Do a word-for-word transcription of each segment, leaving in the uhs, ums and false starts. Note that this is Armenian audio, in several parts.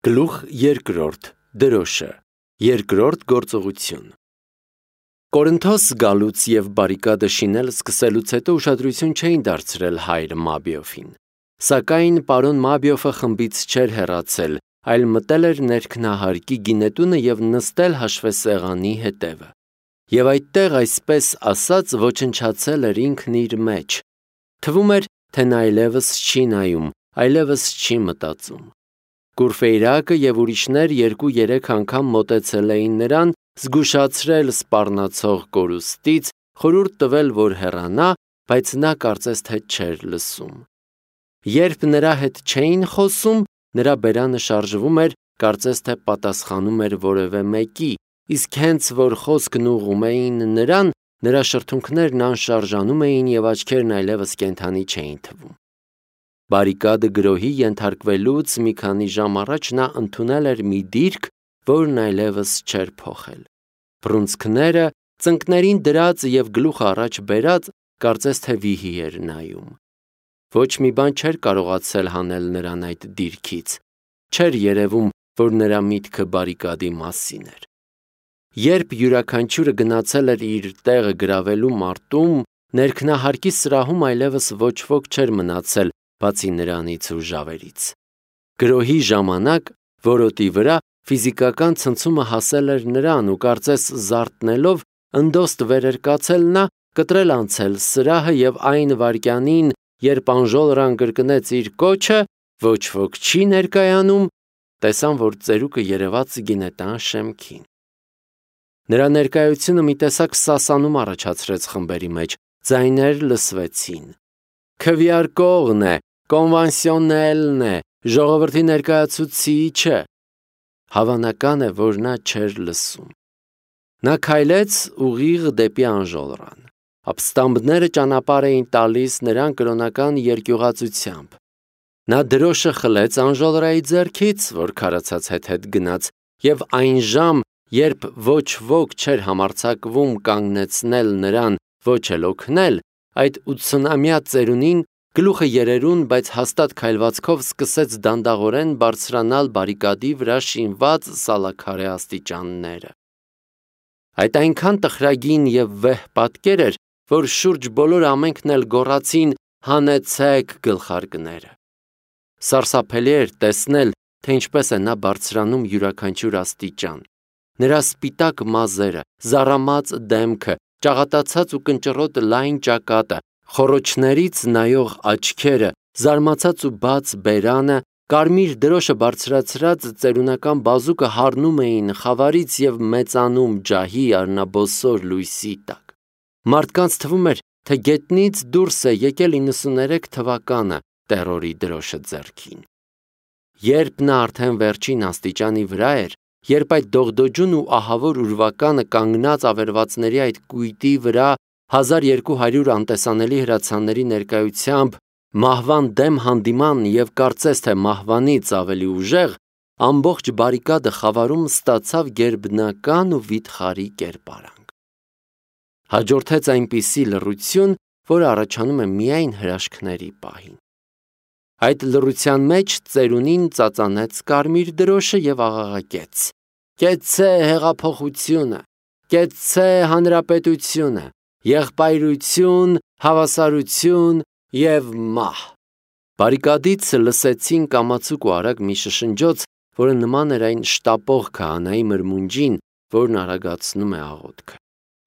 Գլուխ երկրորդ դրոշը երկրորդ գործողություն Կորինթոս գալուց և բարիկադը շինել սկսելուց հետո ուշադրություն չէին դարձրել հայր Մաբիոֆին, սակայն պարոն Մաբիոֆը խմբից չէր հեռացել, այլ մտել էր ներքնահարկի գինետունը և նստել հաշվեսեղանի հետևը, և այդտեղ այսպես ասած ոչնչացել էր ինքն իր մեջ, թվում էր, թե նա այլևս չի նայում, այլևս չի մտածում. Կուրֆեյրակը և ուրիշներ երկու-երեք անգամ մոտեցել էին նրան, զգուշացրել սպառնացող կորուստից, խորհուրդ տվել, որ հեռանա, բայց նա կարծես թե չէր լսում. Երբ նրա հետ չէին խոսում, նրա բերանը շարժվում էր, կարծես թե պատասխանում էր որևէ մեկի, իսկ հենց որ խոսքն ուղղում էին նրան, նրա շրթունքներն անշարժանում էին և աչքերն այլևս կենդանի չէին թվում. Բարիկադը գրոհի ենթարկվելուց մի քանի ժամ առաջ նա ընդունել էր մի դիրք, որն այլևս չէր փոխել. Բռունցքները ծնկներին դրած և գլուխը առաջ բերած, կարծես թե վիհի էր նայում. Ոչ մի բան չէր կարողացել հանել նրան այդ դիրքից, չէր երևում, որ նրա միտքը բարիկադի մասին էր. Երբ յուրաքանչյուրը գնացել էր իր տեղը գրավելու մարտում, ներքնահարկի սրահում այլևս ոչ ոք չէր մնացել, բացի նրանից ու ժավերից. Գրոհի ժամանակ որոտի վրա ֆիզիկական ցնցումը հասել էր նրան ու կարծես զարթնելով ընդոստ վեր էր կացել նա, կտրել անցել սրահը և այն վայրկյանին, երբ անժոլրան կրկնեց իր կոչը, ոչ ոք չի ներկայանում, տեսան, որ ծերուկը երևաց գինետան շեմքին. Նրա ներկայությունը մի տեսակ սասանում առաջացրեց խմբերի մեջ, ձայներ լսվեցին. «Քվեարկողն է, կոնվանսիոնելն է, ժողովրդի ներկայացուցիչը», հավանական է, որ նա չէր լսում. Նա քայլեց ուղիղ դեպի անժոլրան, ապստամբները ճանապարհ էին տալիս նրան կրոնական երկյուղածությամբ, նա դրոշը խլեց անժոլրայի ձեռքից, որ քարացած հետ-հետ գնաց, և այն ժամ, երբ ոչ ոք չէր համարձակվում կանգնեցնել նրան, ոչ էլ օգնել, այդ ութսունամյա ծերունին գլուխը երերուն, բայց հաստատ քայլվածքով սկսեց դանդաղորեն բարձրանալ բարիկադի վրա շինված սալաքարե աստիճանները. Այդ այնքան տխրագին և վեհ պատկեր էր, որ շուրջ բոլորը ամենքն էլ գոռացին «Հանեցեք գլխարկները»: Սարսափելի էր տեսնել, թե ինչպես է նա բարձրանում յուրաքանչյուր աստիճան: Նրա սպիտակ մազերը, զառամած դեմքը, ճաղատացած ու կնճռոտ լայն ճակատը, խոռոչներից նայող աչքերը, զարմացած ու բաց բերանը, կարմիր դրոշը բարձրացրած ծերունական բազուկը հառնում էին խավարից և մեծանում ջահի արնաբոսոր լույսի տակ: Մարդկանց թվում էր, թե գետնից դուրս է եկել իննսուներեք թվականը տերորի դրոշը ձեռքին: Երբ նա արդեն վերջին աստիճանի վրա էր, երբ այդ դողդոջուն ու ահավոր ուրվականը կանգնած ավերվածների այդ կույտի վրա հազար երկու հարյուր անտեսանելի հրացանների ներկայությամբ մահվան դեմ հանդիման և կարծես թե մահվանից ավելի ուժեղ, ամբողջ բարիկադը խավարում ստացավ գերբնական ու վիթխարի կերպարանք: Հաջորդեց այնպիսի լռություն, որը առաջանում է միայն հրաշքների պահին: Այդ լռության մեջ ծերունին ծածանեց կարմիր դրոշը և աղաղակեց. «Կեցցե հեղափոխությունը, կեցցե հանրապետությունը, եղբայրություն, հավասարություն և մահ»: Բարիկադից լսեցին կամացուկ ու արագ մի շշնջոց, որը նման էր այն շտապող քահանայի մրմունջին, որն արագացնում է աղոթքը: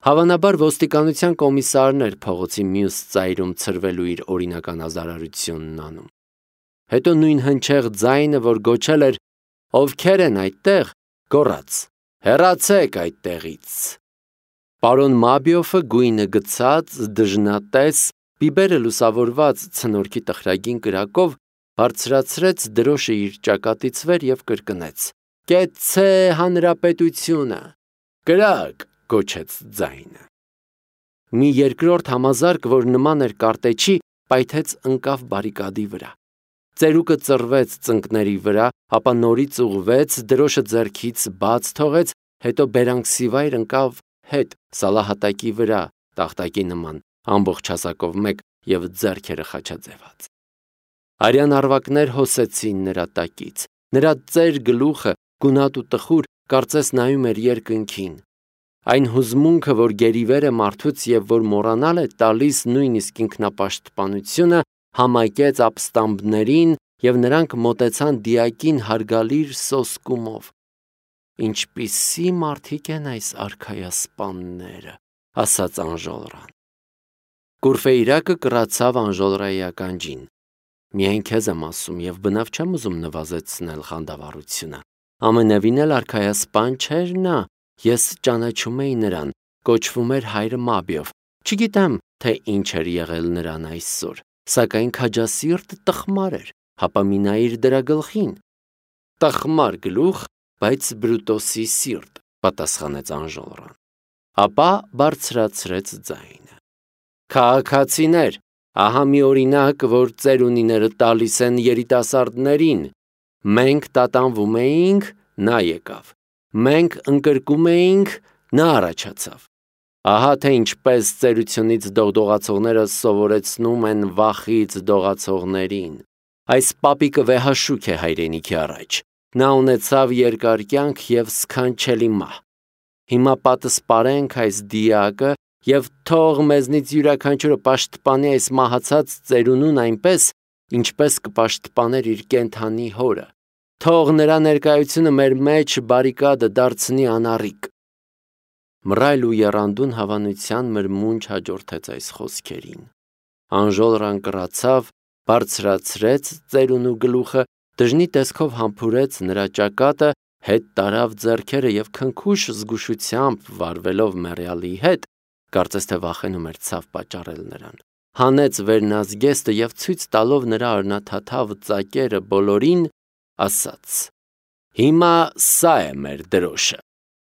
Հավանաբար ոստիկանության կոմիսարն էր փողոցի մյուս ծայրում ցրվելու իր օրինական ազարարությունն անում: Հետո նույն հնչեղ ձայնը, որ գոչել էր «Ովքե՞ր են այդտեղ», գոռաց. «Հեռացեք այդտեղից»: Պարոն Մաբիոֆը գույնը գցած, դժնատես, բիբերը լուսավորված ցնորքի տխրագին կրակով, բարձրացրեց դրոշը իր ճակատից վեր և կրկնեց. «Կեցցե հանրապետությունը»: «Կրակ», գոչեց ձայնը: Մի երկրորդ համազարկ, որ նման էր կարտեչի, պայթեց ընկավ բարիկադի վրա: Ծերուկը ծռվեց ծնկների վրա, ապա նորից ուղղվեց, դրոշը ձեռքից բաց թողեց, հետո բերանքսիվայր ընկավ հետ սալահատակի վրա, տախտակի նման, ամբողջ հասակով մեկ և ձեռքերը խաչաձևած: Արյան առվակներ հոսեցին նրա տակից, Նրա ծեր գլուխը գունատ ու տխուր կարծես նայում էր երկնքին։ Այն հուզմունքը, որ գերիվեր է մարդուց եւ որ մոռանալ է տալիս նույնիսկ ինքնապաշտպանությունը, համակեց ապստամբներին եւ նրանք մոտեցան դիակին հարգալիր սոսկումով։ Ինչպիսի մարդիկ են այս արքայասպանները, ասաց Անժոլրան։ Կուրֆեյրակը կռացավ Անժոլրայի ականջին։ Միայն քեզ եմ ասում եւ բնավ չեմ ուզում նվազեցնել խանդավառությունը։ Ամենևին էլ արքայասպան չէր նա, ես ճանաչում էի նրան, կոչվում էր հայրը Մաբիով։ Չգիտեմ, թե ինչ էր եղել նրան այսօր, սակայն քաջասիրտ տխմար էր, հապա մի նայիր դրա գլխին։ Տխմար գլուխ, բայց Բրուտոսի սիրտ, պատասխանեց Անժոլրան։ Ապա բարձրացրեց ձայնը։ Քաղաքացիներ, ահա մի օրինակ, որ ծերունիները տալիս են երիտասարդներին։ Մենք տատանվում էինք, նա եկավ։ Մենք ընկրկում էինք, նա առաջացավ։ Ահա թե ինչպես ծերությունից դողդողացողները սովորեցնում են վախից դողացողներին։ Այս պապիկը վեհաշուք է հայրենիքի առաջ։ Նա ունեցավ երկար կյանք եւ սքանչելի մահ։ Հիմա պատսպարենք այս դիակը եւ թող մեզնից յուրաքանչյուրը պաշտպանի այս մահացած ծերունուն այնպես, ինչպես կպաշտպաներ իր կենդանի հորը։ Թող նրա ներկայությունը մեր մեջ բարիկադը դարձնի անառիկ։ Մռայլ ու եռանդուն հավանության մրմունջ հաջորդեց այս խոսքերին։ Անժոլրան կռացավ, բարձրացրեց ծերունու գլուխը, դժնի տեսքով համբուրեց նրա ճակատը, հետ տարավ ձեռքերը եւ քնքուշ զգուշությամբ վարվելով մեռյալի հետ, կարծես թե վախենում էր ցավ պատճառել նրան, հանեց վերնազգեստը եւ ցույց տալով նրա արնաթաթավ ծակերը բոլորին, ասաց. Հիմա սա է մեր դրոշը։